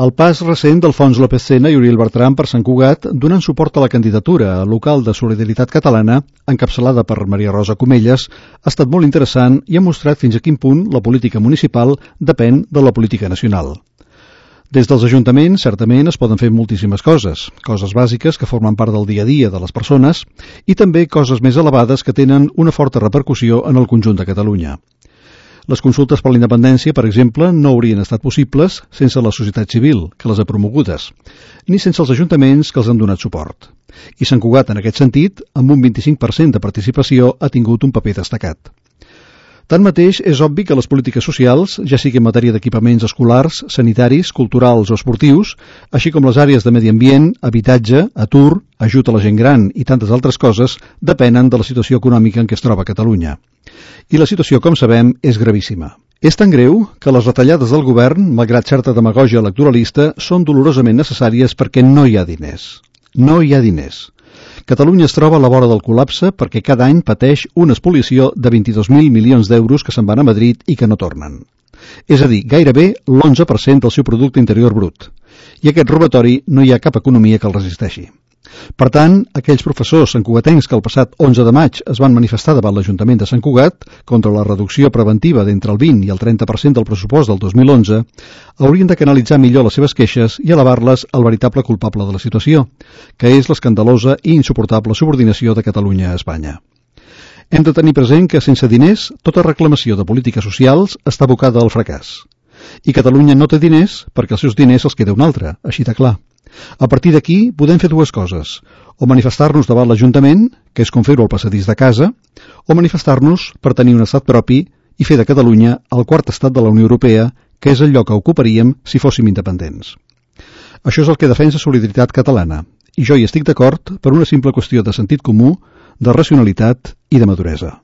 El pas recent d'Alfons López Sena i Oriol Bertran per Sant Cugat donant suport a la candidatura local de Solidaritat Catalana, encapçalada per Maria Rosa Comelles, ha estat molt interessant i ha mostrat fins a quin punt la política municipal depèn de la política nacional. Des dels ajuntaments, certament, es poden fer moltíssimes coses bàsiques que formen part del dia a dia de les persones i també coses més elevades que tenen una forta repercussió en el conjunt de Catalunya. Les consultes per la independència, per exemple, no haurien estat possibles sense la societat civil, que les ha promogudes, ni sense els ajuntaments que els han donat suport. I Sant Cugat, en aquest sentit, amb un 25% de participació, ha tingut un paper destacat. Tanmateix, és obvi que les polítiques socials, ja sigui en matèria d'equipaments escolars, sanitaris, culturals o esportius, així com les àrees de medi ambient, habitatge, atur, ajut a la gent gran i tantes altres coses, depenen de la situació econòmica en què es troba Catalunya. I la situació, com sabem, és gravíssima. És tan greu que les retallades del govern, malgrat certa demagògia electoralista, són dolorosament necessàries perquè no hi ha diners. No hi ha diners. Catalunya es troba a la vora del col·lapse perquè cada any pateix una espoliació de 22.000 milions d'euros que se'n van a Madrid i que no tornen. És a dir, gairebé l'11% del seu producte interior brut. I aquest robatori no hi ha cap economia que el resisteixi. Per tant, aquells professors santcugatencs que el passat 11 de maig es van manifestar davant l'Ajuntament de Sant Cugat contra la reducció preventiva d'entre el 20 i el 30% del pressupost del 2011 haurien de canalitzar millor les seves queixes i elevar-les al veritable culpable de la situació, que és l'escandalosa i insuportable subordinació de Catalunya a Espanya. Hem de tenir present que sense diners, tota reclamació de polítiques socials està abocada al fracàs. I Catalunya no té diners perquè els seus diners els queda un altre, així de clar. A partir d'aquí podem fer dues coses, o manifestar-nos davant l'Ajuntament, que és com fer-ho al passadís de casa, o manifestar-nos per tenir un estat propi i fer de Catalunya el quart estat de la Unió Europea, que és el lloc que ocuparíem si fóssim independents. Això és el que defensa Solidaritat Catalana, i jo hi estic d'acord per una simple qüestió de sentit comú, de racionalitat i de maduresa.